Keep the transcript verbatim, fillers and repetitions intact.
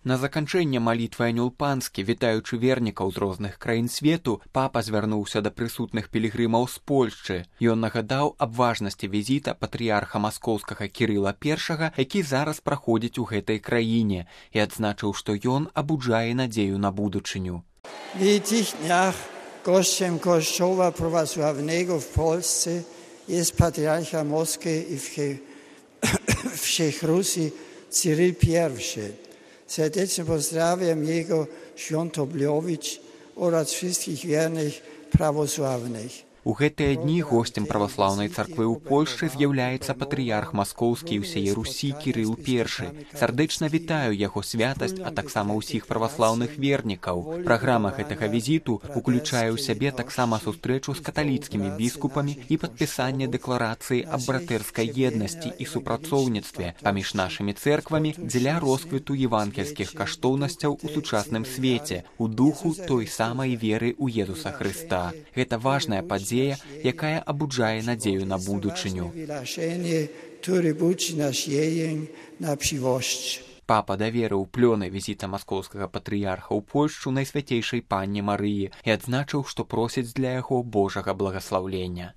На заканчэнне малітвы анёл панскі, вітаючы вернікаў з розных краін свету, папа звярнуўся да прысутных пілігрымаў з Польшчы. Ён нагадаў аб важнасці візіта патрыярха маскоўскага Кірыла першага, які зараз праходзіць у гэтай краіне, і адзначыў, што ён абуджае надзею на будучыню. Widzieć dniach gościem Kościoła prawosławnego w Polsce jest patriarcha Moskwy i Wszechrusji Cyryl pierwszy. Serdecznie pozdrawiam jego świątobliwicz oraz wszystkich wiernych prawosławnych. У гэтыя дні госцем праваслаўнай царквы ў Польшчы з'яўляецца патрыярх маскоўскі і ўсяе Русі Кірыл першы. Сардэчна вітаю яго святасць, а таксама ўсіх праваслаўных вернікаў. Праграма гэтага візіту уключае ў сябе таксама сустрэчу з каталіцкімі біскупамі і падпісанне дэкларацыі аб братэрскай еднасці і супрацоўніцтве паміж нашымі цэрквамі дзеля росквіту евангельскіх каштоўнасцяў у сучасным свеце, у духу той самай веры ў Езуса Хрыста. Гэта важная падзея, якая абуджае надзею на будучыню. Папа даверыў плёны візіта маскоўскага патрыярха ў Польшчу найсвяцейшай панне Марыі і адзначыў, што просіць для яго Божага благаслаўлення.